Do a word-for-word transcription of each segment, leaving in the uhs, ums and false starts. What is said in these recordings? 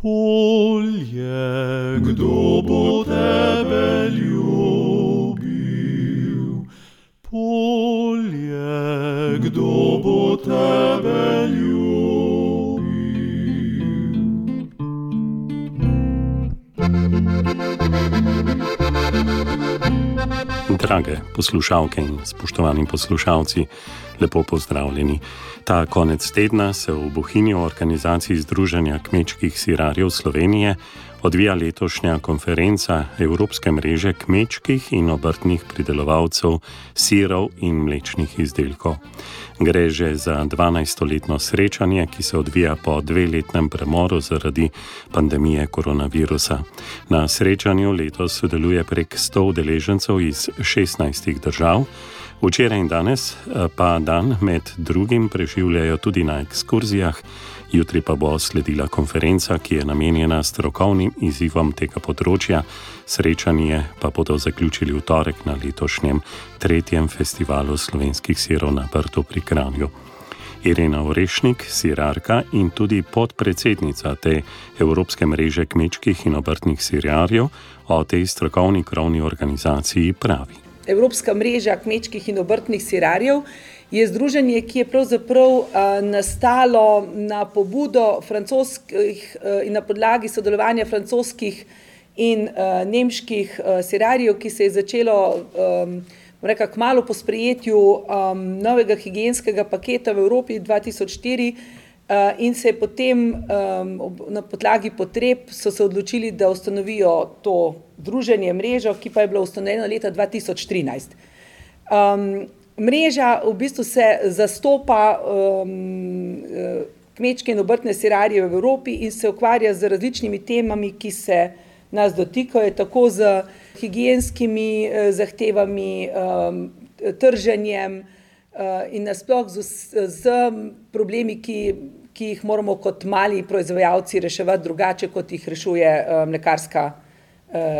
Polje, kdo bo tebe ljubil? Polje, kdo bo tebe ljubil? Drage poslušalke in spoštovani poslušalci, lepo pozdravljeni. Ta konec tedna se v Bohinju v organizaciji Združenja kmečkih sirarjev Slovenije odvija letošnja konferenca Evropske mreže kmečkih in obrtnih pridelovalcev sirov in mlečnih izdelkov. Gre že za dvanajstoletno srečanje, ki se odvija po dveletnem premoru zaradi pandemije koronavirusa. Na srečanju letos sodeluje prek sto udeležencev iz šestnajstih držav. Včeraj in danes pa dan med drugim preživljajo tudi na ekskurzijah, jutri pa bo sledila konferenca, ki je namenjena strokovnim izzivom tega področja. Srečanje pa bodo zaključili v torek na letošnjem tretjem festivalu slovenskih sirov na Brdu pri Kranju. Irena Orešnik, sirarka in tudi podpredsednica te Evropske mreže kmečkih in obrtnih sirarjev, o tej strokovni krovni organizaciji pravi. Evropska mreža kmečkih in obrtnih sirarjev je združenje, ki je pravzaprav uh, nastalo na pobudo francoskih uh, in na podlagi sodelovanja francoskih in uh, nemških uh, sirarjev, ki se je začelo um, reka, kmalu po sprejetju um, novega higienskega paketa v Evropi dva tisoč štiri uh, in se je potem um, na podlagi potreb so se odločili, da ustanovijo to združenje, mrežo, ki pa je bila ustanovljena leta dva tisoč trinajst. Um, mreža v bistvu se zastopa um, kmečke in obrtne sirarje v Evropi in se ukvarja z različnimi temami, ki se nas dotikajo, tako z higienskimi uh, zahtevami, um, trženjem uh, in nasploh z, z problemi, ki, ki jih moramo kot mali proizvajalci reševati drugače, kot jih rešuje uh, mlekarska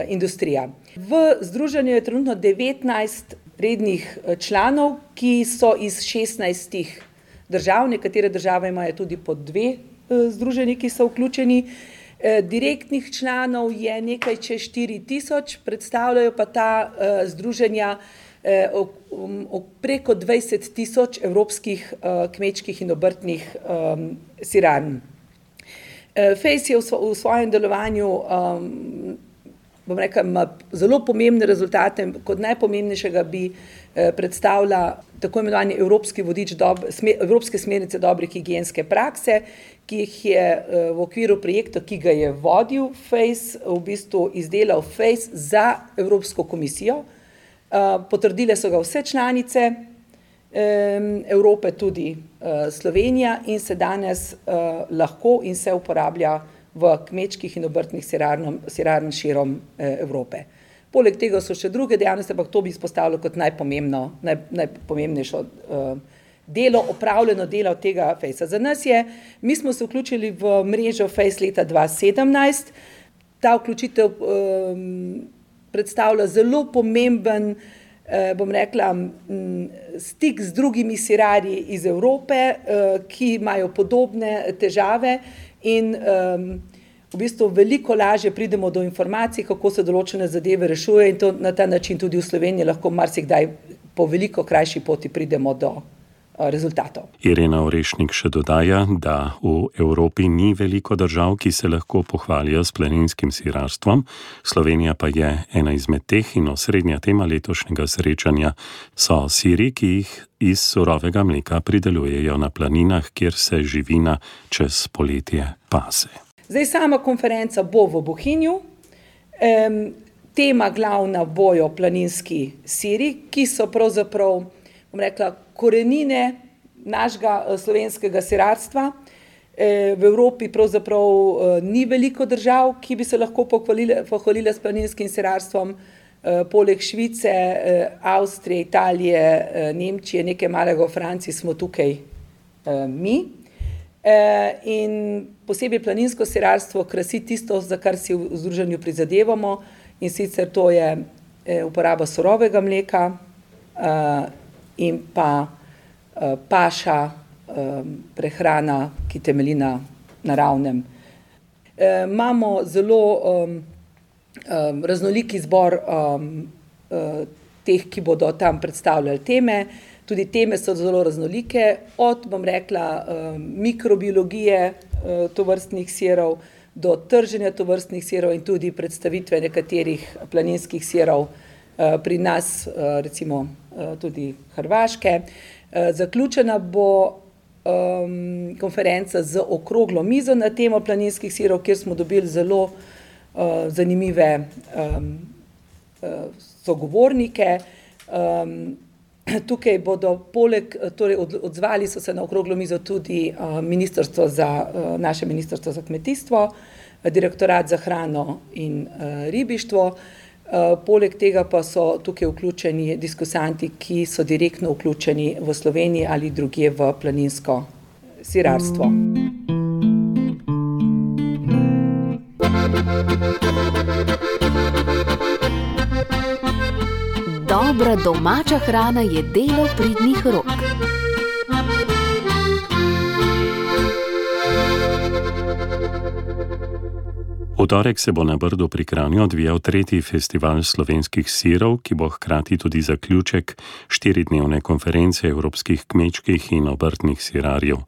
industrija. V združenju je trenutno devetnajst rednih članov, ki so iz šestnajstih držav, nekatere države imajo tudi po dve združenji, ki so vključeni. Direktnih članov je nekaj čez štiri tisoč, predstavljajo pa ta združenja preko dvajset tisoč evropskih kmečkih in obrtnih sirarn. Fejs je v svojem delovanju bom rekla, ima zelo pomembne rezultate. Kot najpomembnejšega bi eh, predstavlja tako imenovani Evropski vodič, dob, sme, Evropske smernice dobre higienske prakse, ki jih je eh, v okviru projekta, ki ga je vodil Fejs, v bistvu izdelal Fejs za Evropsko komisijo. Eh, potrdile so ga vse članice eh, Evrope, tudi eh, Slovenija, in se danes eh, lahko in se uporablja v kmečkih in obrtnih sirarn širom Evrope. Poleg tega so še druge dejavnosti, ampak to bi izpostavilo kot najpomembno, naj, najpomembnejšo uh, delo, opravljeno delo tega Fejsa. Za nas je, mi smo se vključili v mrežo Fejs leta dva tisoč sedemnajst. Ta vključitev um, predstavlja zelo pomemben, uh, bom rekla, um, stik z drugimi sirarji iz Evrope, uh, ki imajo podobne težave. In um, v bistvu veliko lažje pridemo do informacij, kako se določene zadeve rešuje, in to na ta način tudi v Sloveniji lahko marsikdaj po veliko krajši poti pridemo do uh, rezultatov. Irena Orešnik še dodaja, da v Evropi ni veliko držav, ki se lahko pohvalijo s planinskim sirarstvom. Slovenija pa je ena izmed teh in osrednja tema letošnjega srečanja so siri, ki jih iz surovega mleka pridelujejo na planinah, kjer se živina čez poletje pase. Zdaj sama konferenca bo v Bohinju. Um, tema glavna bojo planinski siri, ki so pravzaprav, bom rekla, korenine našega slovenskega sirarstva. E, v Evropi pravzaprav ni veliko držav, ki bi se lahko pohvalile, pohvalile s planinskim sirarstvom. Poleg Švice, Avstrije, Italije, Nemčije, nekaj malega v Franciji smo tukaj mi. In posebej planinsko sirarstvo krasi tisto, za kar si v združenju prizadevamo, in sicer to je uporaba surovega mleka in pa paša, prehrana, ki temelji na naravnem. E, imamo zelo um, um, raznolik izbor um, uh, teh, ki bodo tam predstavljali teme. Tudi teme so zelo raznolike, od, bom rekla, um, mikrobiologije uh, tovrstnih sirov do trženja tovrstnih sirov in tudi predstavitve nekaterih planinskih sirov uh, pri nas, uh, recimo uh, tudi Hrvaške. Uh, zaključena bo Um, konferenca z okroglo mizo na temo planinskih sirov, kjer smo dobili zelo uh, zanimive um, uh, sogovornike. Um, tukaj bodo poleg, torej od, odzvali so se na okroglo mizo tudi uh, ministrstvo za, uh, naše ministrstvo za kmetijstvo, direktorat za hrano in uh, ribištvo. Uh, poleg tega pa so tukaj vključeni diskusanti, ki so direktno vključeni v Sloveniji ali drugje v planinsko sirarstvo. Dobra domača hrana je delo pridnih rok. V torek se bo na Brdu pri Kranju odvijal tretji festival slovenskih sirov, ki bo hkrati tudi zaključek štiridnevne konference evropskih kmečkih in obrtnih sirarjev.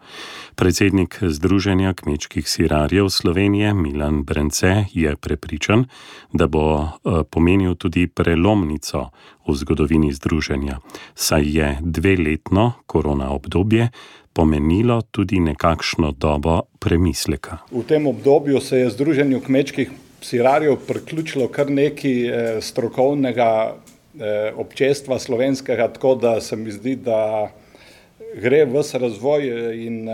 Predsednik Združenja kmečkih sirarjev Slovenije Milan Brence je prepričan, da bo pomenil tudi prelomnico v zgodovini združenja, saj je dveletno korona obdobje pomenilo tudi nekakšno dobo premisleka. V tem obdobju se je Združenju kmečkih sirarjev priključilo kar nekaj strokovnega občestva slovenskega, tako da se mi zdi, da gre ves razvoj in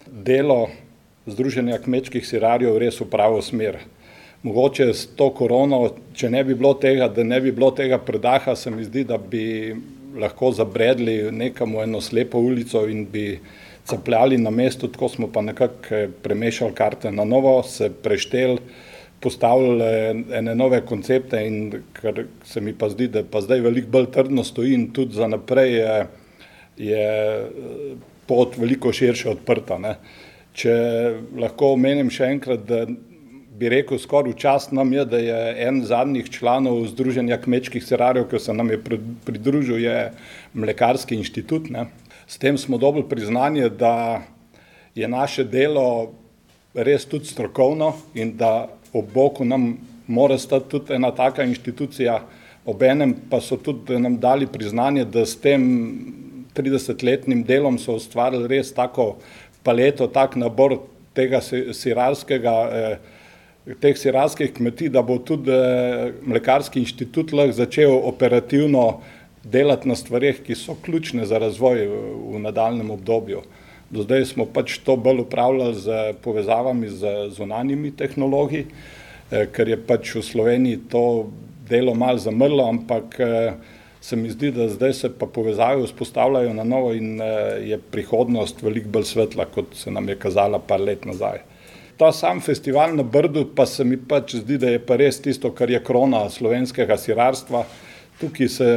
delo Združenja kmečkih sirarjev res v pravo smer. Mogoče s to korono, če ne bi bilo tega, da ne bi bilo tega predaha, se mi zdi, da bi lahko zabredli nekamo eno slepo ulico in bi capljali na mestu, tako smo pa nekako premešali karte na novo, se prešteli, postavili ene nove koncepte in kar se mi pa zdi, da pa zdaj veliko bolj trdno stoji in tudi za naprej je, je pot veliko širše odprta. Ne. Če lahko omenim še enkrat, da bi rekel, skoraj čast nam je, da je en zadnjih članov Združenja kmečkih sirarjev, ki se nam je pridružil, je Mlekarski inštitut. Ne. S tem smo dobili priznanje, da je naše delo res tudi strokovno in da ob boku nam mora stati tudi ena taka inštitucija, obenem pa so tudi nam dali priznanje, da s tem tridesetletnim delom so ustvarili res tako paleto, tak nabor tega sirarskega eh, teh sirarskih kmetij, da bo tudi Mlekarski inštitut lahko začel operativno delati na stvareh, ki so ključne za razvoj v nadaljnjem obdobju. Do zdaj smo pač to bolj upravljali z povezavami z zunanjimi tehnologi, ker je pač v Sloveniji to delo malo zamrlo, ampak se mi zdi, da zdaj se pa povezave vzpostavljajo na novo in je prihodnost veliko bolj svetla, kot se nam je kazala par let nazaj. Ta sam festival na Brdu pa se mi pač zdi, da je pa res tisto, kar je krona slovenskega sirarstva. Tukaj se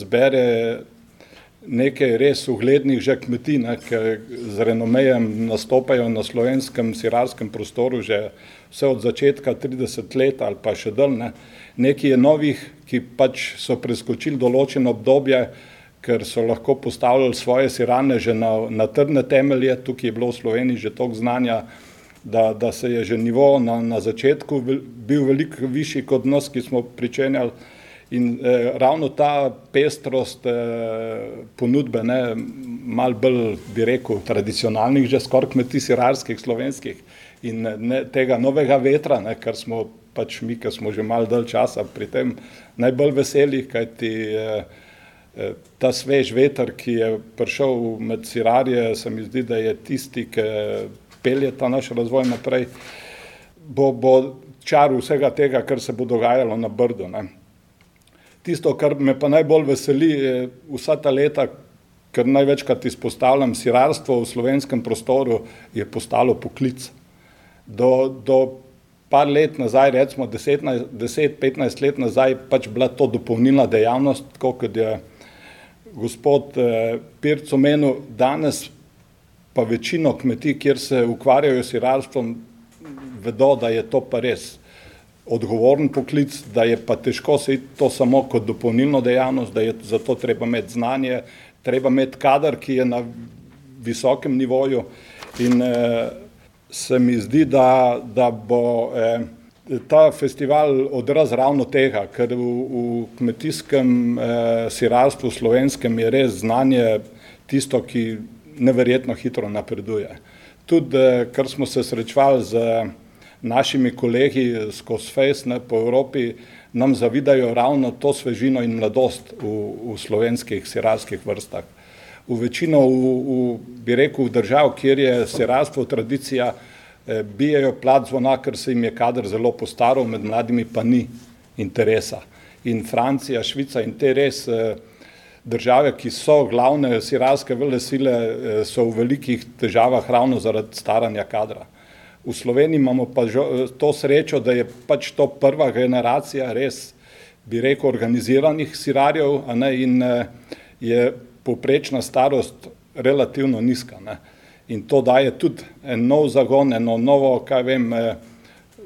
zbere nekaj res uglednih že kmetij, ne, ki z renomejem nastopajo na slovenskem sirarskem prostoru že vse od začetka trideset let ali pa še dalj. Ne. Nekaj je novih, ki pač so preskočili določeno obdobje, ker so lahko postavljali svoje sirane že na, na trdne temelje. Tukaj je bilo v Sloveniji že toliko znanja, Da, da se je že nivo na, na začetku bil veliko višji kot nas, ki smo pričenjali. In eh, ravno ta pestrost eh, ponudbe, ne, malo bolj, bi rekel, tradicionalnih, že skoraj kmetij sirarskih, slovenskih in ne, tega novega vetra, ne, kar smo pač mi, ki smo že malo dalj časa pri tem najbolj veseli, kajti eh, eh, ta svež veter, ki je prišel med sirarje, se mi zdi, da je tisti, ki pelje ta naš razvoj naprej, bo, bo čar vsega tega, kar se bo dogajalo na Brdu. Ne. Tisto, kar me pa najbolj veseli, je vsa ta leta, ker največkrat izpostavljam, sirarstvo v slovenskem prostoru je postalo poklic. Do, do par let nazaj, recimo deset petnajst let nazaj, pač bila to dopolnilna dejavnost, tako kot je gospod eh, Pirc omenil, danes pa večino kmetij, kjer se ukvarjajo s sirarstvom, vedo, da je to pa res odgovoren poklic, da je pa težko se iti to samo kot dopolnilno dejavnost, da je zato treba imeti znanje, treba imeti kader, ki je na visokem nivoju in eh, se mi zdi, da, da bo eh, ta festival odraz ravno tega, ker v, v kmetijskem eh, sirarstvu slovenskem je res znanje tisto, ki neverjetno hitro napreduje. Tudi, eh, ker smo se srečevali z našimi kolegi skozi Face ne, po Evropi, nam zavidajo ravno to svežino in mladost v, v slovenskih sirarskih vrstah. V večino, v, v, bi rekel, v držav, kjer je sirarstvo tradicija, eh, bijejo plat zvona, ker se jim je kader zelo postaral, med mladimi pa ni interesa. In Francija, Švica in te res eh, države, ki so glavne sirarske velesile, eh, so v velikih težavah ravno zaradi staranja kadra. V Sloveniji imamo pa to srečo, da je pač to prva generacija res, bi rekel, organiziranih sirarjev, a ne, in je povprečna starost relativno nizka. Ne. In to daje tudi en nov zagon, eno novo, kaj vem,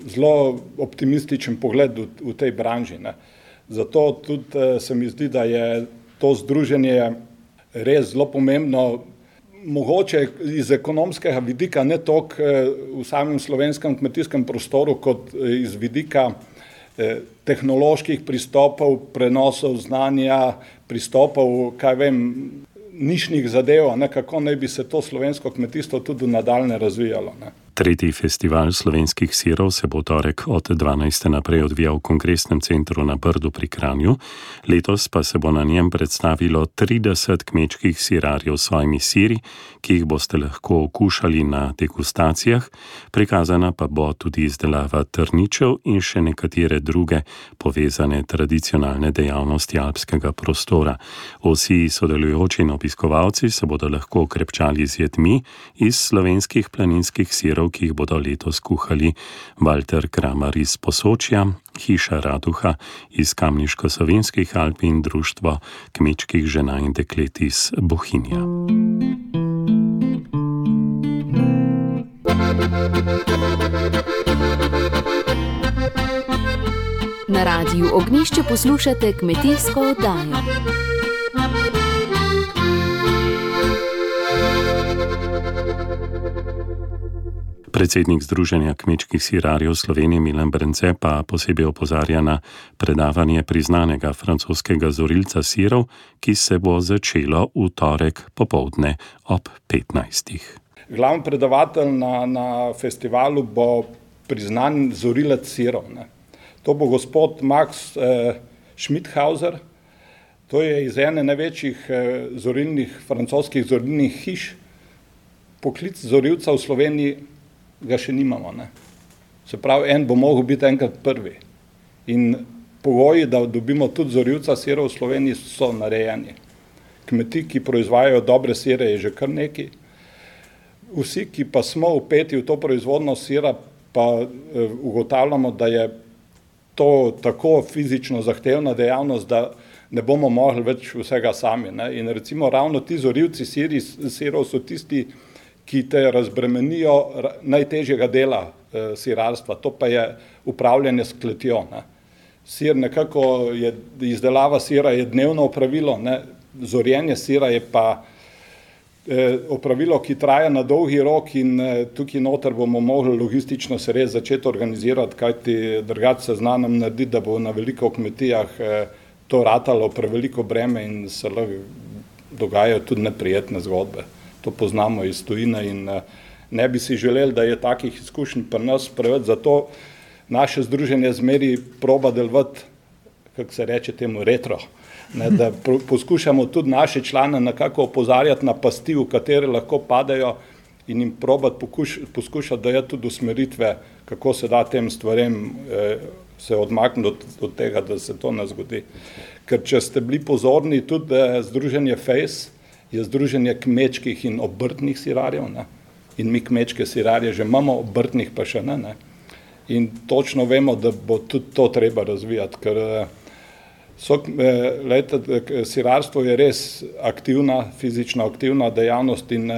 zelo optimističen pogled v, v tej branži. Ne. Zato tudi se mi zdi, da je to združenje res zelo pomembno, mogoče iz ekonomskega vidika, ne toliko v samem slovenskem kmetijskem prostoru, kot iz vidika tehnoloških pristopov, prenosov znanja, pristopov, kaj vem, nišnih zadev, ne, kako naj bi se to slovensko kmetijstvo tudi nadaljne razvijalo. Ne. Tretji festival slovenskih sirov se bo torek od dvanajste naprej odvijal v Kongresnem centru na Brdu pri Kranju. Letos pa se bo na njem predstavilo trideset kmečkih sirarjev s svojimi siri, ki jih boste lahko okušali na degustacijah. Prikazana pa bo tudi izdelava trničev in še nekatere druge povezane tradicionalne dejavnosti alpskega prostora. Vsi sodelujoči in obiskovalci se bodo lahko krepčali z jedmi iz slovenskih planinskih sirov, ki jih bodo letos kuhali Walter Kramar iz Posočja, Hiša Raduha iz Kamniško-Savinjskih Alp in Društvo kmečkih žena in deklet iz Bohinja. Na Radiu Ognjišče poslušate kmetijsko oddajo. Predsednik Združenja kmečkih sirarjev Slovenije Milan Brence pa posebej opozarja na predavanje priznanega francoskega zorilca sirov, ki se bo začelo v torek popoldne ob petnajstih. Glavni predavatelj na, na festivalu bo priznan zorilec sirov. Ne. To bo gospod Max eh, Schmidhauser. To je iz ene največjih eh, zorilnih, francoskih zorilnih hiš. Poklic zorilca v Sloveniji ga še nimamo. Ne. Se pravi, en bo mogel biti enkrat prvi. In pogoji, da dobimo tudi zorilca sirov v Sloveniji, so narejeni. Kmetij, ki proizvajajo dobre sire, je že kar nekaj. Vsi, ki pa smo vpeti v to proizvodno sira, pa eh, ugotavljamo, da je to tako fizično zahtevna dejavnost, da ne bomo mogli več vsega sami. Ne. In recimo ravno ti zorilci siri, sirov so tisti, ki te razbremenijo najtežjega dela eh, sirarstva, to pa je upravljanje s kletjo. Ne. Sir nekako je, izdelava sira je dnevno opravilo, ne. Zorjenje sira je pa eh, opravilo, ki traja na dolgi rok in eh, tukaj noter bomo mogli logistično se res začeti organizirati, kajti drugače se zna nam narediti, da bo na veliko kmetijah eh, to ratalo preveliko breme in se lahko dogajajo tudi neprijetne zgodbe. To poznamo iz tujine in ne bi si želeli, da je takih izkušenj pri nas preveč, zato naše združenje zmeri proba delovati, kako se reče temu, retro, ne, da poskušamo tudi naše člane nekako opozarjati na pasti, v katere lahko padajo in jim probati poskušati dajati tudi usmeritve, kako se da tem stvarem eh, se odmakniti od, od tega, da se to ne zgodi. Ker če ste bili pozorni, tudi eh, združenje Face je združenje kmečkih in obrtnih sirarjev, ne? In mi kmečke sirarje že imamo, obrtnih pa še ne, ne. In točno vemo, da bo tudi to treba razvijati, ker so, lejte, sirarstvo je res aktivna, fizično aktivna dejavnost in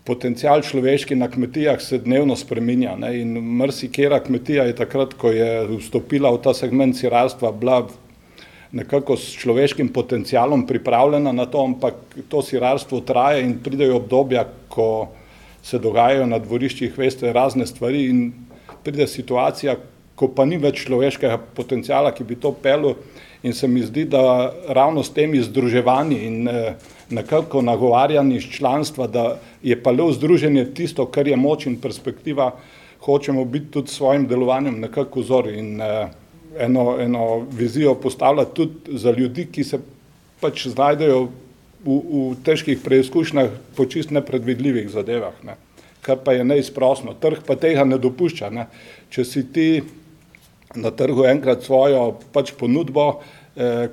potencial človeški na kmetijah se dnevno spreminja, ne, in marsikera kmetija je takrat, ko je vstopila v ta segment sirarstva, bila nekako s človeškim potencialom pripravljena na to, ampak to sirarstvo traja in pridejo obdobja, ko se dogajajo na dvoriščih, veste, razne stvari in pride situacija, ko pa ni več človeškega potenciala, ki bi to pelil, in se mi zdi, da ravno s temi združevanji in eh, nekako nagovarjanji iz članstva, da je pa le združenje tisto, kar je moč in perspektiva, hočemo biti tudi s svojim delovanjem nekako vzor in eh, eno, eno vizijo postavljati tudi za ljudi, ki se pač znajdejo v, v težkih preizkušnjah po čist nepredvidljivih zadevah, ne. Kar pa je neizprosno. Trg pa tega ne dopušča, ne. Če si ti na trgu enkrat svojo pač ponudbo, eh,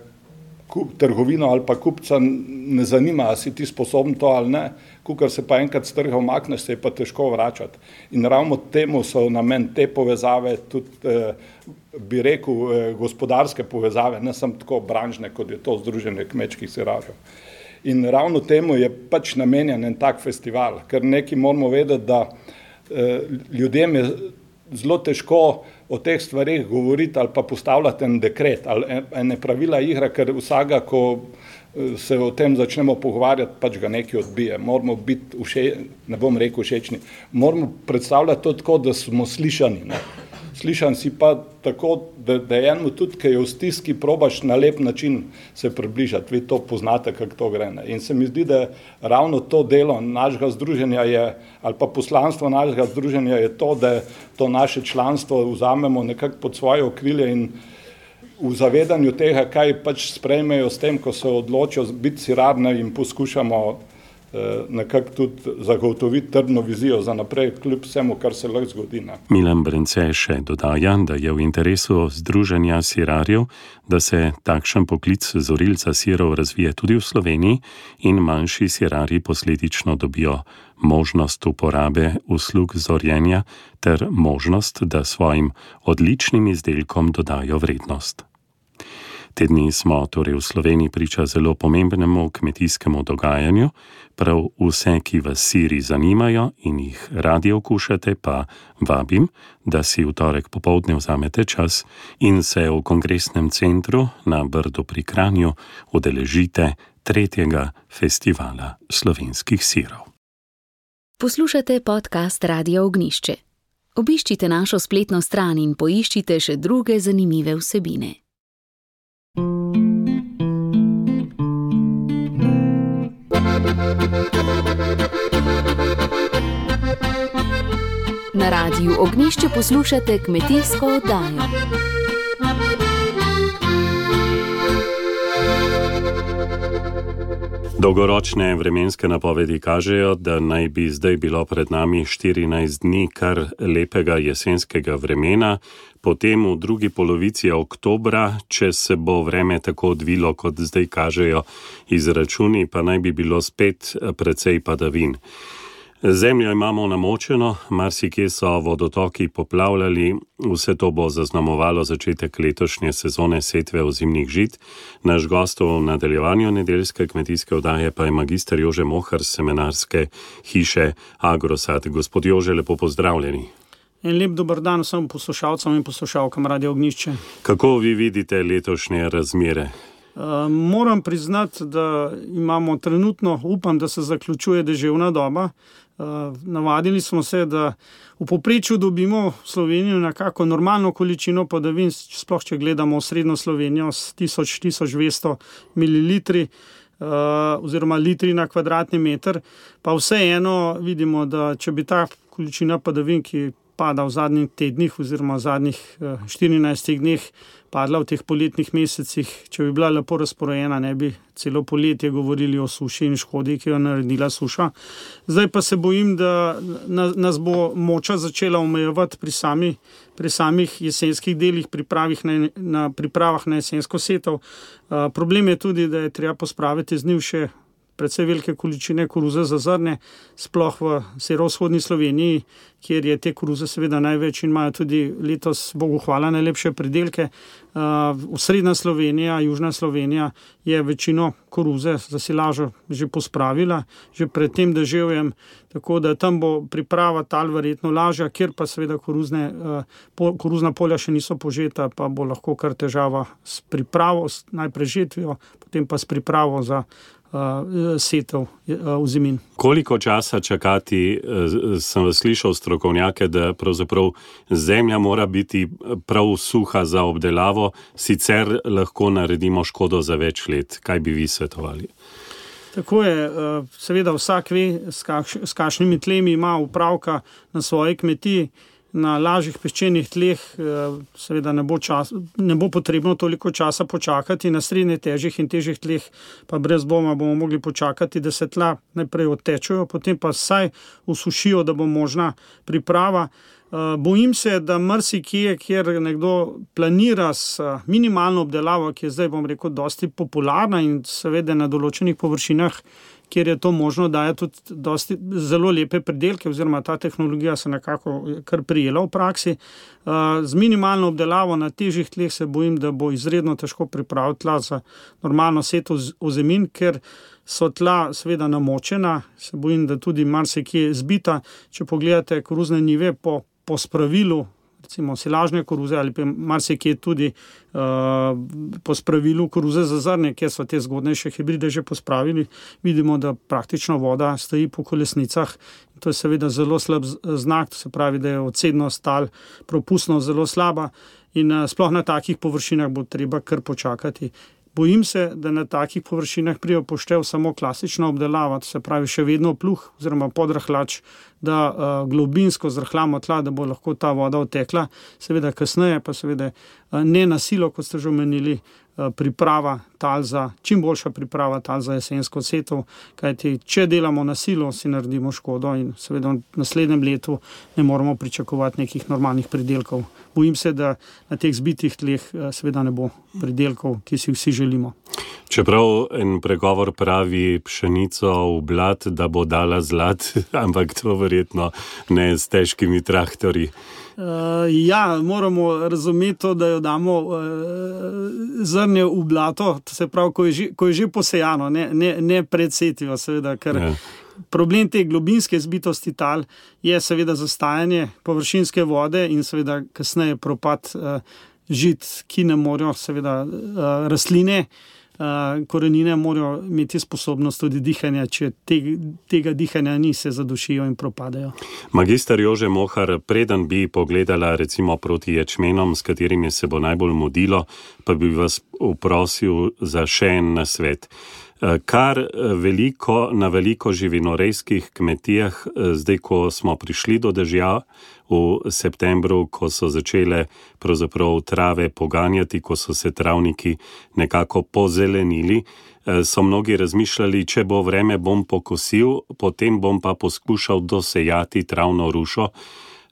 kup, trgovino ali pa kupca ne zanima, a si ti sposoben to ali ne, kukor se pa enkrat s trga umakneš, se je pa težko vračati. In ravno temu so namen te povezave, tudi eh, bi rekel eh, gospodarske povezave, ne samo tako branžne, kot je to Združenje kmečkih sirarjev. In ravno temu je pač namenjen en tak festival, ker nekaj moramo vedeti, da eh, ljudem je zelo težko o teh stvarih govoriti ali pa postavljati en dekret ali ene pravila igre, ker vsega, ko se o tem začnemo pogovarjati, pač ga nekaj odbije. Moramo biti, vše, ne bom rekel všečni, moramo predstavljati to tako, da smo slišani. Ne? Slišan si pa tako, da, da enemu tudi, ki je v stiski, probaš na lep način se približati. Vi to poznate, kako to gre. Ne? In se mi zdi, da ravno to delo našega združenja je, ali pa poslanstvo našega združenja je to, da to naše članstvo vzamemo nekako pod svoje okrilje in v zavedanju tega, kaj pač sprejmejo s tem, ko se odločijo biti sirarne in poskušamo eh, nekako tudi zagotoviti trdno vizijo za naprej, kljub vsemu, kar se lahko zgodi. Ne. Milan Brence še dodaja, da je v interesu Združenja sirarjev, da se takšen poklic zorilca sirov razvije tudi v Sloveniji in manjši sirarji posledično dobijo možnost uporabe uslug zorjenja ter možnost, da svojim odličnim izdelkom dodajo vrednost. Te dni smo torej v Sloveniji priča zelo pomembnemu kmetijskemu dogajanju, prav vse, ki vas siri zanimajo in jih radi okušate, pa vabim, da si v torek popoldne vzamete čas in se v kongresnem centru na Brdu pri Kranju udeležite tretjega festivala slovenskih sirov. Poslušate podcast Radia Ognjišče. Obiščite našo spletno stran in poiščite še druge zanimive vsebine. Na Radiu Ognjišče poslušate kmetijsko oddajo. Dolgoročne vremenske napovedi kažejo, da naj bi zdaj bilo pred nami štirinajst dni kar lepega jesenskega vremena, potem v drugi polovici oktobra, če se bo vreme tako odvilo, kot zdaj kažejo izračuni, pa naj bi bilo spet precej padavin. Zemljo imamo namočeno, marsikje so vodotoki poplavljali, vse to bo zaznamovalo začetek letošnje sezone setve ozimnih žit. Naš gost v nadaljevanju nedeljske kmetijske oddaje pa je magister Jože Mohar z semenarske hiše Agrosad. Gospod Jože, lepo pozdravljeni. En lep dober dan vsem poslušalcem in poslušalkam Radia Ognjišče. Kako vi vidite letošnje razmere? Uh, moram priznati, da imamo trenutno, upam, da se zaključuje deževna doba. Uh, navadili smo se, da v povprečju dobimo v Slovenijo nekako normalno količino padavin, sploh če gledamo srednjo Slovenijo s tisoč do tisoč dvesto mililitri uh, oziroma litri na kvadratni meter, pa vseeno vidimo, da če bi ta količina padavin, ki pada v zadnjih tednih oziroma v zadnjih uh, štirinajstih dneh, padla v teh poletnih mesecih, če bi bila lepo razporejena, ne bi celo poletje govorili o suši in škodi, ki jo naredila suša. Zdaj pa se bojim, da nas bo moča začela omejevati pri, sami, pri samih jesenskih delih, pripravih na, na pripravah na jesensko setev. Uh, problem je tudi, da je treba pospraviti z njim še precej velike količine koruze za zrnje, sploh v severovzhodni Sloveniji, kjer je te koruze seveda največ in imajo tudi letos, Bogu hvala, najlepše pridelke. Uh, Srednja Slovenija, Južna Slovenija je večino koruze za silažo že pospravila, že pred tem deževjem, tako da tam bo priprava tal verjetno lažja, kjer pa seveda koruzne, uh, po, koruzna polja še niso požeta, pa bo lahko kar težava s pripravo, s najprej žetvijo, potem pa s pripravo za uh, setev uh, v zimin. Koliko časa čakati, sem vas slišal strokovnjake, da pravzaprav zemlja mora biti prav suha za obdelavo, sicer lahko naredimo škodo za več let. Kaj bi vi svetovali? Tako je, seveda vsak ve, s kakšnimi tlemi ima upravka na svoji kmetiji. Na lažjih peščenih tleh seveda ne bo, čas, ne bo potrebno toliko časa počakati, na srednje težjih in težjih tleh pa brez dvoma bomo mogli počakati, da se tla najprej odtečejo, potem pa vsaj usušijo, da bo možna priprava. Bojim se, da marsikje, kjer nekdo planira s minimalno obdelavo, ki je zdaj, bom rekel, dosti popularna in seveda na določenih površinah, kjer je to možno, daje tudi dosti zelo lepe pridelke, oziroma ta tehnologija se nekako kar prijela v praksi. Z minimalno obdelavo na težjih tleh se bojim, da bo izredno težko pripraviti tla za normalno setev ozemin, ker so tla seveda namočena, se bojim, da tudi marsikje zbita. Če pogledate koruzne njive po, po spravilu, recimo silažne koruze ali pa marsikje tudi uh, po spravilu koruze za zrnje, kjer so te zgodnejše hibride že pospravili, vidimo, da praktično voda stoji po kolesnicah. To je seveda zelo slab znak, to se pravi, da je odsednost tal, propustnost zelo slaba in uh, sploh na takih površinah bo treba kar počakati. Bojim se, da na takih površinah prije upoštev samo klasična obdelava, to se pravi še vedno pluh oziroma podrahlač, da uh, globinsko zrahljamo tla, da bo lahko ta voda odtekla. Seveda kasneje pa seveda uh, ne na silo, kot ste že omenili, uh, priprava tal za, čim boljša priprava tal za jesensko setev, kajti če delamo na silo, si naredimo škodo in seveda v naslednjem letu ne moramo pričakovati nekih normalnih pridelkov. Bojim se, da na teh zbitih tleh seveda ne bo pridelkov, ki si vsi želimo. Čeprav en pregovor pravi pšenico v blad, da bo dala zlat, ampak to verjetno ne s težkimi traktorji. Uh, ja, moramo razumeti to, da jo damo uh, zrnje v blato, to se pravi, ko je že, ko je že posejano, ne, ne, ne pred setvijo, seveda, ker ja. Problem te globinske zbitosti tal je seveda zastajanje površinske vode in seveda kasneje propad uh, žit, ki ne morajo seveda uh, rastline, uh, korenine morajo imeti sposobnost tudi dihanja, če te, tega dihanja ni, se zadušijo in propadajo. Magister Jože Mohar, preden bi pogledala recimo proti ječmenom, s katerimi se bo najbolj mudilo, pa bi vas vprosil za še en nasvet. Kar veliko, na veliko živinorejskih kmetijah, zdaj, ko smo prišli do dežja v septembru, ko so začele pravzaprav trave poganjati, ko so se travniki nekako pozelenili, so mnogi razmišljali, če bo vreme, bom pokosil, potem bom pa poskušal dosejati travno rušo.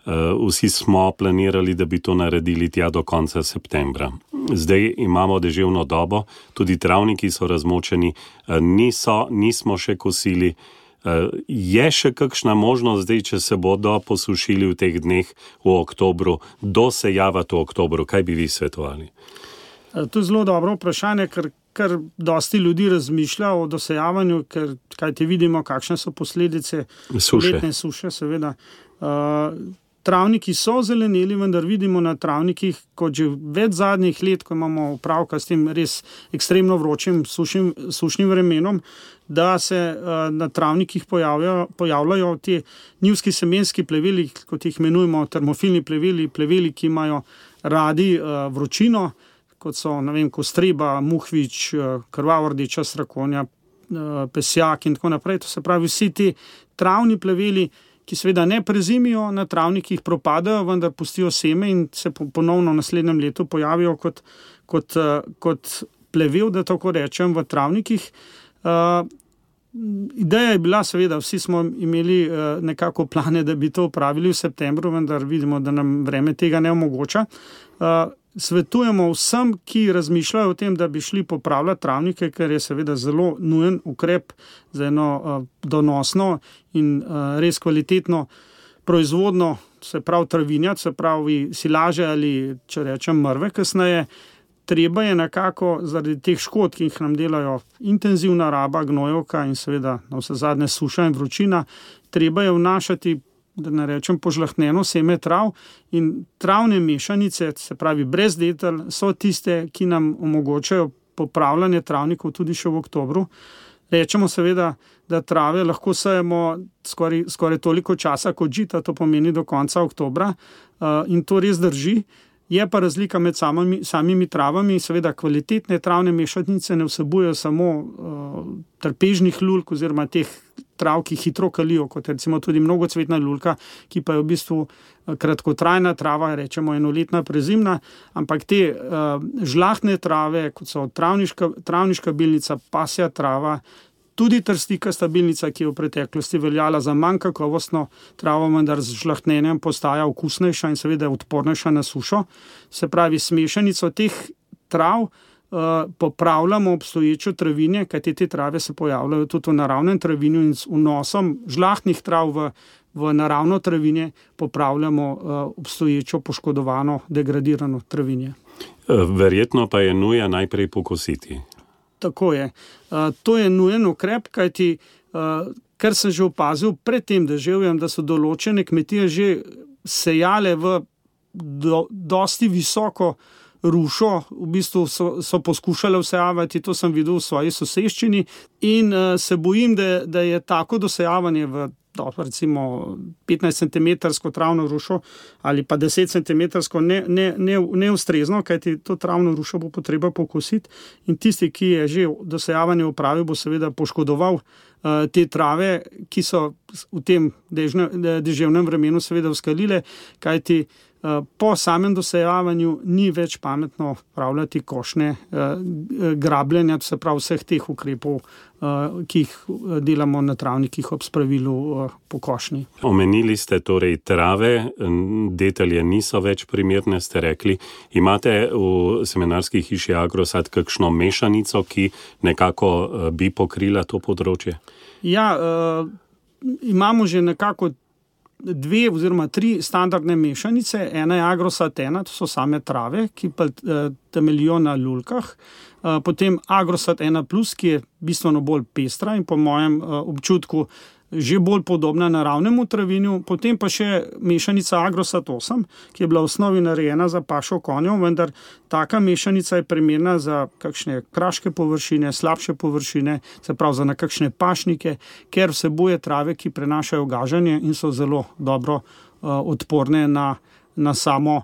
Vsi smo planirali, da bi to naredili tja do konca septembra. Zdaj imamo deževno dobo, tudi travniki so razmočeni, niso, nismo še kosili. Je še kakšna možnost zdaj, če se bodo posušili v teh dneh v oktobru, dosejavati v oktobru? Kaj bi vi svetovali? To je zelo dobro vprašanje, ker, ker dosti ljudi razmišlja o dosejavanju, ker kajti vidimo, kakšne so posledice suše. Letne suše, seveda. Uh, Travniki so zeleneli, vendar vidimo na travnikih, kot že več zadnjih let, ko imamo opravka s tem res ekstremno vročim, sušnim, sušnim vremenom, da se uh, na travnikih pojavljajo, pojavljajo ti njivski semenski pleveli, kot jih imenujemo termofilni pleveli, pleveli, ki imajo radi uh, vročino, kot so, ne vem, kostreba, muhvič, uh, krvava rdeča srakonja, uh, pesjak in tako naprej. To se pravi, vsi ti travni pleveli, ki seveda ne prezimijo na travnikih, propadajo, vendar pustijo seme in se ponovno v naslednjem letu pojavijo kot, kot, kot plevel, da tako rečem, v travnikih. Uh, ideja je bila seveda, vsi smo imeli uh, nekako plane, da bi to opravili v septembru, vendar vidimo, da nam vreme tega ne omogoča. Uh, svetujemo vsem, ki razmišljajo o tem, da bi šli popravljati travnike, ker je seveda zelo nujen ukrep za eno uh, donosno in uh, res kvalitetno proizvodno, se pravi travinjat, se pravi silaže ali, če rečem, mrve kasneje. Treba je nekako zaradi teh škod, ki jih nam delajo intenzivna raba, gnojevka in seveda na vse zadnje suša in vročina, treba je vnašati, da ne rečem, požlahtneno seme trav in travne mešanice, se pravi brez detelj, so tiste, ki nam omogočajo popravljanje travnikov tudi še v oktobru. Rečemo seveda, da trave lahko sejemo skoraj, skoraj toliko časa kot žita, to pomeni do konca oktobra in to res drži. Je pa razlika med samimi, samimi travami, seveda kvalitetne travne mešanice ne vsebujejo samo uh, trpežnih lulk oziroma teh trav, ki hitro kalijo, kot recimo tudi mnogocvetna lulka, ki pa je v bistvu kratkotrajna trava, rečemo enoletna prezimna, ampak te uh, žlahtne trave, kot so travniška, travniška bilnica, pasja trava, tudi trstika stabilnica, ki je v preteklosti veljala za manj kakovostno travo, vendar z žlahtnenjem postaja okusnejša in seveda odpornejša na sušo. Se pravi, s mešanico teh trav uh, popravljamo obstoječo travinje, kajti te trave se pojavljajo tudi v naravnem travinju in s vnosom žlahtnih trav v, v naravno travinje popravljamo uh, obstoječo poškodovano, degradirano travinje. Verjetno pa je nuja najprej pokositi. Tako je. Uh, to je nujen ukrep, kajti, uh, ker sem že opazil pred tem deževjem, da so določene kmetije že sejale v do, dosti visoko rušo, v bistvu so, so poskušale vsejavati, to sem videl v svoji soseščini in uh, se bojim, da, da je tako dosejavanje v do, recimo petnajst centimetrsko travno rušo ali pa deset centimetrsko ne, ne, ne, neustrezno, kajti to travno rušo bo potreba pokositi in tisti, ki je že dosejavanje opravil, bo seveda poškodoval uh, te trave, ki so v tem dežne, deževnem vremenu seveda vzkalile, kajti po samem dosejavanju ni več pametno pravljati košnje grabljenja, se pravi vseh teh ukrepov, ki jih delamo na travnikih ob spravilu po košnji. Omenili ste torej trave, detelje niso več primerne, ste rekli. Imate v semenarski hiši Agrosad kakšno mešanico, ki nekako bi pokrila to področje? Ja, imamo že nekako dve oziroma tri standardne mešanice. Ena je Agrosad ena, to so same trave, ki pa temeljijo na lulkah. Potem Agrosad ena plus, ki je bistveno bolj pestra in po mojem občutku že bolj podobna naravnemu travinju. Potem pa še mešanica Agrosad osem, ki je bila v osnovi narejena za pašo konjev, vendar taka mešanica je primerna za kakšne kraške površine, slabše površine, se pravi za nekakšne pašnike, ker vsebuje trave, ki prenašajo gaženje in so zelo dobro uh, odporne na, na samo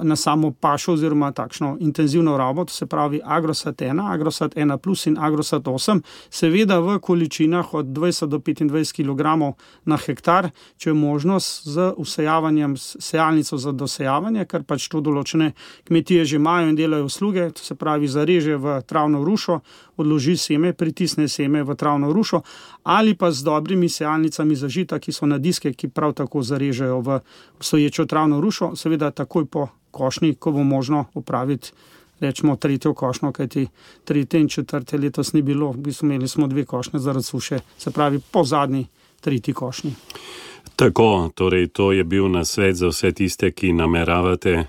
na samo pašo oziroma takšno intenzivno rabo, to se pravi Agrosad ena, Agrosad ena plus in Agrosad osem, seveda v količinah od dvajset do petindvajset kilogramov na hektar, če je možnost z vsejavanjem, sejalnico za dosejavanje, ker pač to določene kmetije že imajo in delajo usluge, to se pravi zareže v travno rušo, odloži seme, pritisne seme v travno rušo ali pa z dobrimi sejalnicami za žita, ki so na diske, ki prav tako zarežejo v obstoječo travno rušo, seveda takoj po košnji, ko bo možno opraviti, rečemo, tretjo košnjo, kajti tretje in četrte letos ni bilo, v bistvu imeli smo dve košnje zaradi suše, se pravi po zadnji tretji košnji. Tako, torej to je bil nasvet za vse tiste, ki nameravate eh,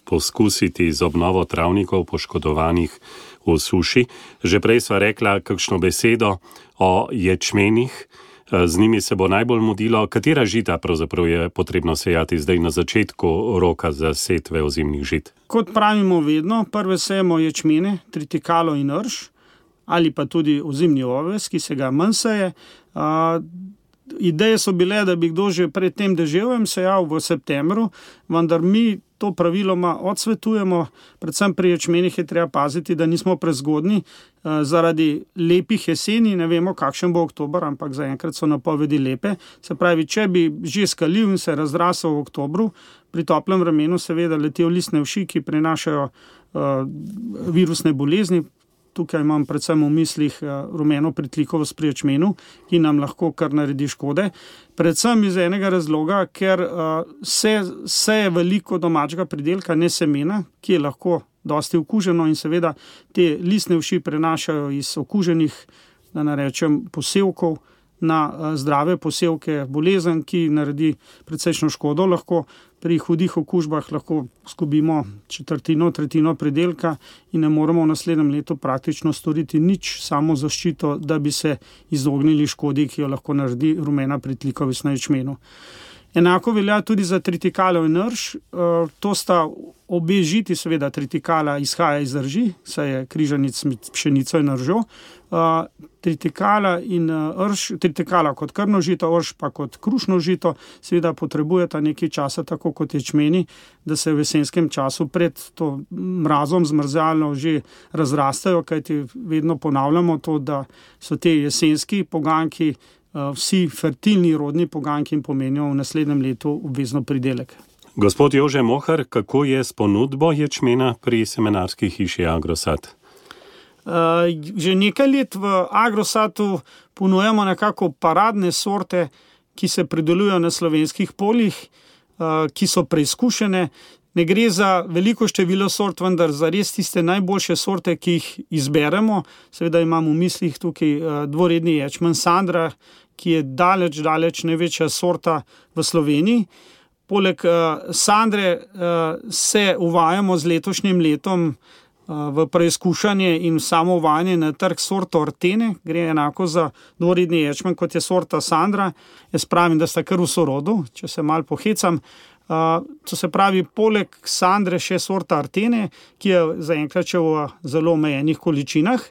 poskusiti z obnovo travnikov poškodovanih v suši. Že prej sva rekla kakšno besedo o ječmenih, z njimi se bo najbolj mudilo. Katera žita pravzaprav je potrebno sejati zdaj na začetku roka za setve ozimnih žit? Kot pravimo vedno, prve sejemo ječmene, tritikalo in rž, ali pa tudi ozimni oves, ki se ga manj seje. Uh, Ideje so bile, da bi kdo že pred tem deževjem sejal v septembru, vendar mi to praviloma odsvetujemo, predvsem pri ječmenih je treba paziti, da nismo prezgodni, zaradi lepih jeseni, ne vemo kakšen bo oktober, ampak zaenkrat so napovedi lepe. Se pravi, če bi že skalil in se razrasel v oktobru, pri toplem vremenu seveda letijo listne uši, ki prenašajo uh, virusne bolezni, tukaj imam predvsem v mislih rumeno pritlikovost pri ječmenu, ki nam lahko kar naredi škode. Predvsem iz enega razloga, ker se, se je veliko domačega pridelka, ne semena, ki je lahko dosti okuženo in seveda te listne uši prenašajo iz okuženih, da ne rečem, posevkov na zdrave posevke, bolezen, ki naredi precejšno škodo lahko. Pri hudih okužbah lahko izgubimo četrtino, tretjino pridelka in ne moremo v naslednjem letu praktično storiti nič, samo zaščito, da bi se izognili škodi, ki jo lahko naredi rumena pritlikovost na ječmenu. Enako velja tudi za tritikalo in rž. To sta obe žiti, seveda tritikala izhaja iz rži, saj je križanic med pšenico in ržo. Tritikala in rž, tritikala kot krmno žito, rž pa kot krušno žito, seveda potrebujeta nekaj časa, tako kot ječmeni, da se v jesenskem času pred to mrazom zmrzalno že razrastajo, kajti vedno ponavljamo to, da so te jesenski poganjki vsi fertilni rodni poganjki in pomenijo v naslednjem letu obvezno pridelek. Gospod Jože Mohar, kako je s ponudbo ječmena pri semenarski hiši Agrosat? Uh, že nekaj let v Agrosatu ponujamo nekako paradne sorte, ki se pridelujejo na slovenskih poljih, uh, ki so preizkušene. Ne gre za veliko število sort, vendar za res tiste najboljše sorte, ki jih izberemo. Seveda imam v mislih tukaj uh, dvoredni ječmen Sandra, ki je daleč, daleč največja sorta v Sloveniji. Poleg uh, Sandre uh, se uvajamo z letošnjim letom uh, v preizkušanje in samo uvajanje na trg sorto Artene. Gre enako za dvoredni ječmen, kot je sorta Sandra. Jaz pravim, da sta kar v sorodu, če se malo pohecam. Uh, to se pravi, poleg Sandre še sorta Artene, ki je zaenkrat še v zelo omejenih količinah.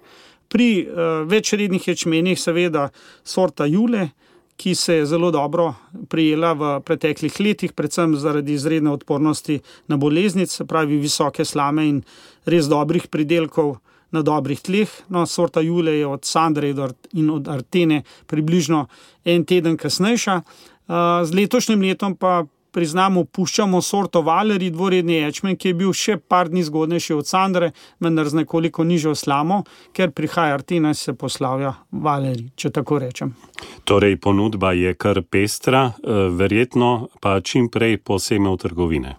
Pri uh, večrednih ječmenih seveda sorta Jule, ki se je zelo dobro prijela v preteklih letih, predvsem zaradi izredne odpornosti na boleznic, se pravi visoke slame in res dobrih pridelkov na dobrih tleh. No, sorta Jule je od Sandre in od Artene približno en teden kasnejša. Uh, z letošnjim letom pa priznamo, puščamo sorto Valeri, dvoredni ječmen, ki je bil še par dni zgodnejši od Sandre, vendar z nekoliko nižjo slamo, ker prihaja Artena in se poslavlja Valeri, če tako rečem. Torej, ponudba je kar pestra, verjetno pa čim prej poseme v trgovine.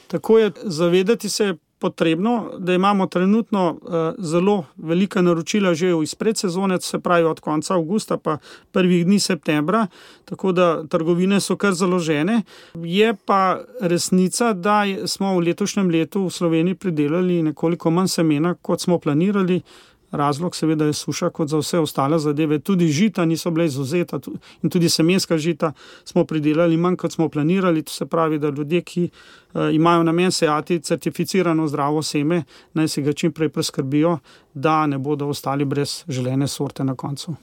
Tako je, zavedati se potrebno, da imamo trenutno uh, zelo velika naročila že iz predsezone, se pravi od konca avgusta pa prvih dni septembra, tako da trgovine so kar založene. Je pa resnica, da smo v letošnjem letu v Sloveniji pridelali nekoliko manj semena, kot smo planirali. Razlog seveda je suša, kot za vse ostale zadeve. Tudi žita niso bile izvzeta in tudi semenska žita smo pridelali manj, kot smo planirali. To se pravi, da ljudje, ki uh, imajo namen sejati certificirano zdravo seme, naj si ga čim prej preskrbijo, da ne bodo ostali brez želene sorte na koncu.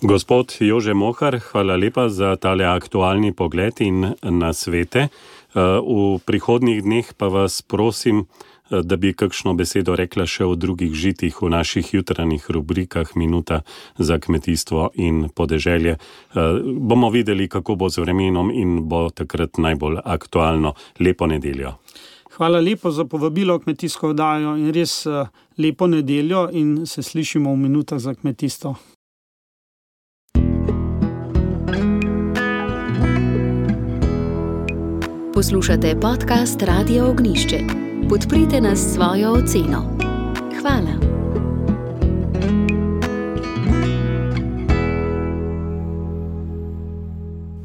Gospod Jože Mohar, hvala lepa za tale aktualni pogled in nasvete. Uh, v prihodnjih dneh pa vas prosim, da bi kakšno besedo rekla še o drugih žitih v naših jutranjih rubrikah Minuta za kmetijstvo in podeželje. Bomo videli, kako bo z vremenom in bo takrat najbolj aktualno. Lepo nedeljo. Hvala lepo za povabilo v kmetijsko oddajo in res lepo nedeljo in se slišimo v Minutah za kmetijstvo. Poslušate podcast Radia Ognišče. Podprite nas s svojo oceno. Hvala.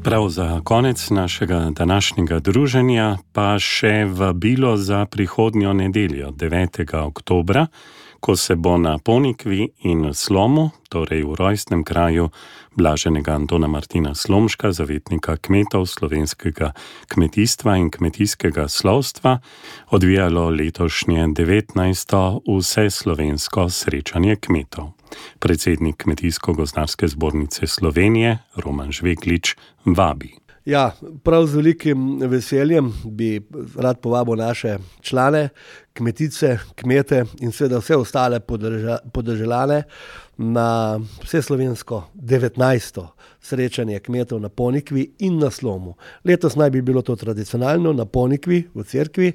Prav za konec našega današnjega druženja pa še vabilo za prihodnjo nedeljo, devetega oktobra, ko se bo na Ponikvi in Slomu, torej v rojstnem kraju blaženega Antona Martina Slomška, zavetnika kmetov slovenskega kmetijstva in kmetijskega slovstva, odvijalo letošnje devetnajsto vseslovensko srečanje kmetov. Predsednik Kmetijsko-gozdarske zbornice Slovenije, Roman Žveglič, vabi. Ja, prav z velikim veseljem bi rad povabil naše člane, kmetice, kmete in seveda vse ostale podeželane na vseslovensko devetnajsto srečanje kmetov na Ponikvi in na Slomu. Letos naj bi bilo to tradicionalno na Ponikvi v cerkvi.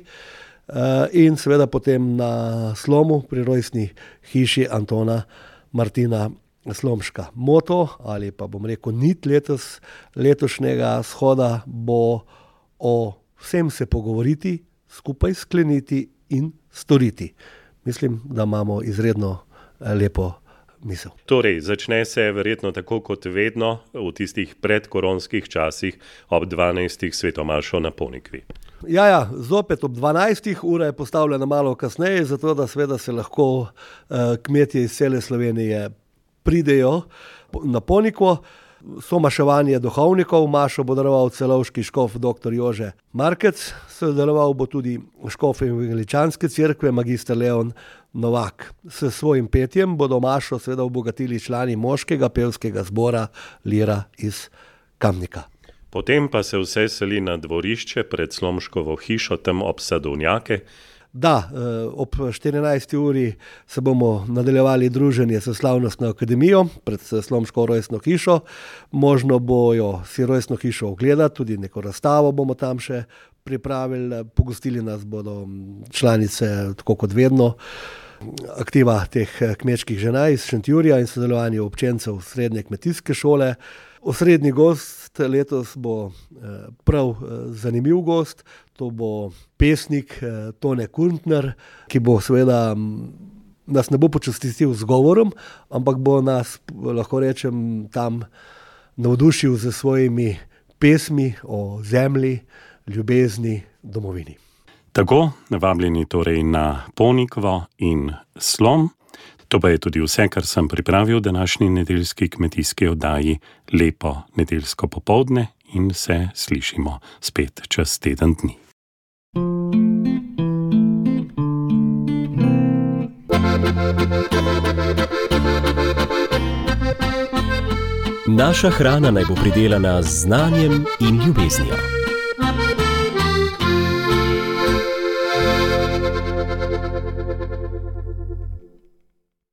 in seveda potem na Slomu pri rojstni hiši Antona Martina Slomška. Moto ali pa bom rekel nit letos, letošnjega shoda bo o vsem se pogovoriti, skupaj skleniti in storiti. Mislim, da imamo izredno lepo misel. Torej, začne se verjetno tako kot vedno v tistih predkoronskih časih ob dvanajstih svetomašo na Ponikvi. Ja, ja, zopet ob dvanajstih, ura je postavljena malo kasneje, zato da seveda se lahko eh, kmetje iz cele Slovenije pridejo na Ponikvo. Somaševanje duhovnikov, mašo bo daroval celovški škof dr. Jože Markec, sodeloval bo tudi škof Evangeličanske cerkve magister Leon Novak. S svojim petjem bodo mašo seveda obogatili člani moškega pevskega zbora Lira iz Kamnika. Potem pa se vse seli na dvorišče pred Slomškovo hišo tam ob Sadovnjake. Da, ob štirinajsti uri se bomo nadaljevali druženje s slavnostno akademijo pred Slomško rojstno hišo. Možno bojo si rojstno hišo ogledati, tudi neko razstavo bomo tam še pripravili. Pogostili nas bodo članice, tako kot vedno, aktiva teh kmečkih žena iz Šentjurja in sodelovanje občencev srednje kmetijske šole. Osrednji gost letos bo prav zanimiv gost, to bo pesnik Tone Kuntner, ki bo seveda nas ne bo počastil z govorom, ampak bo nas, lahko rečem, tam navdušil z svojimi pesmi o zemlji, ljubezni, domovini. Tako, vabljeni torej na Ponikvo in Slom. To pa je tudi vse, kar sem pripravil današnji nedeljski kmetijski oddaji. Lepo nedeljsko popoldne in se slišimo spet čez teden dni. Naša hrana naj bo pridelana z znanjem in ljubeznijo.